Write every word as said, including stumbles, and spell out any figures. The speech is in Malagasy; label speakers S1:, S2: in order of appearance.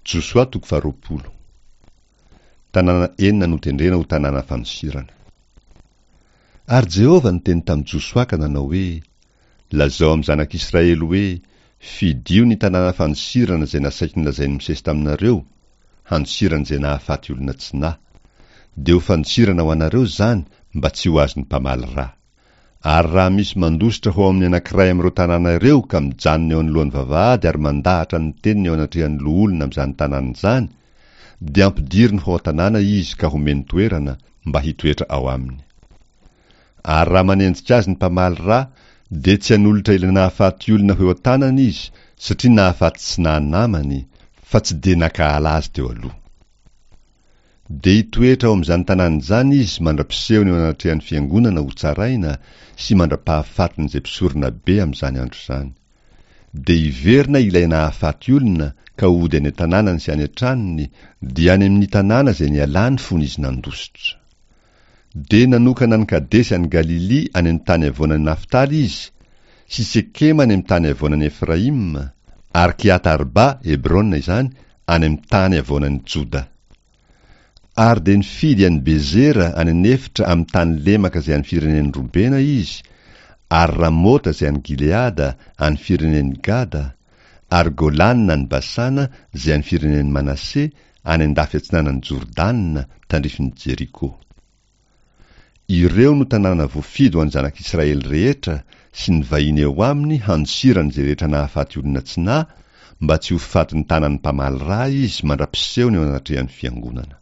S1: Josoa toko faharoapolo. Tanàna enina notendrena ho tanàna fandosirana. Ary Jehovah niteny tamin'i Josoa ka nanao hoe, Lazao amin'ny zanak'Israely hoe, Fidio ny tanàna fandosirana izay nasaiko nolazain'i Mosesy taminareo, handosirana izay nahafaty olona tsy nahy. Dia ho fandosirana ho anareo izany mba tsy ho azon'ny mpamaly ra. Ary raha misy mandositra ho ao amin'ny anankiray amin'ireo tanàna ireo ka mijanona eo anoloan'ny vavahady ary mandahatra ny teniny eo anatrehan'ny loholona amin'izany tanàna izany, dia ampidiriny ho ao an-tanàna izy ka homeny toerana mba hitoetra ao aminy. Ary raha manenjika azy ny mpamaly ra, dia tsy hanolotra ilay nahafaty olona ho eo an-tanany izy, satria nahafaty tsy naha namany, fa tsy dia nankahala azy teo aloha. Dia hitoetra ao amin'izany tanàna izany izy mandra-pisehony eo anatrehan'ny fiangonana hotsaraina sy mandra-pahafatin'izay mpisorona be amin'izany andro izany. Dia hiverina ilay nahafaty olona ka hody any an-tanànany sy any an-tranony, dia any amin'ny tanàna izay nialany fony izy nandositra. Dia nanokana an'i Kadesy any Galilia any amin'ny tany havoanan'i Naftaly izy, sy Sekema any amin'ny tany havoanan'i Efraima, ary Kiata-Arba, Hebrona izany, any amin'ny tany havoanan'i Joda. Ary dia nifidy an'i Bezera any an'efitra amin'ny tany lemaka izay an'ny firenen'i Robena izy, ary Ramota izay any Gileada, an'ny firenen'i Gada, ary Golana any Basana izay an'ny firenen'i Manase, any an-dafy atsinanan'i Jordana, tandrifin'i Jeriko. Ireo no tanàna voafidy ho an'ny zanak'Israely rehetra sy ny vahiny eo aminy handosirany izay rehetra nahafaty olona tsy nahy, mba tsy ho fatin'ny tanan'ny mpamaly ra izy mandra-pisehony eo anatrehan'ny fiangonana.